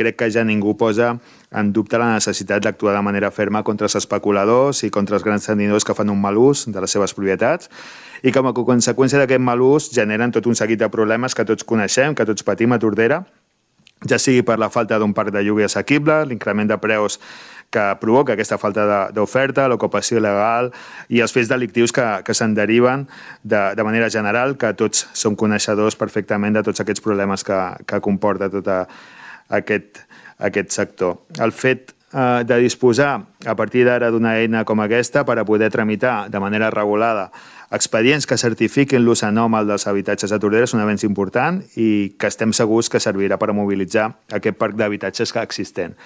crec que ja ningú posa en dubte la necessitat d'actuar de manera ferma contra els especuladors i contra els grans tenidors que fan un mal ús de les seves propietats i que com a conseqüència d'aquest mal ús generen tot un seguit de problemes que tots coneixem, que tots patim a Tordera, ja sigui per la falta d'un parc de lloguer assequible, l'increment de preus que provoca aquesta falta d'oferta, l'ocupació il·legal i els fets delictius que se'n deriven de manera general, que tots som coneixedors perfectament de tots aquests problemes que comporta tot aquest sector. El fet de disposar a partir d'ara d'una eina com aquesta per a poder tramitar de manera regulada expedients que certifiquin l'ús anòmal dels habitatges a Tordera és un avenç important i que estem segurs que servirà per a mobilitzar aquest parc d'habitatges existent.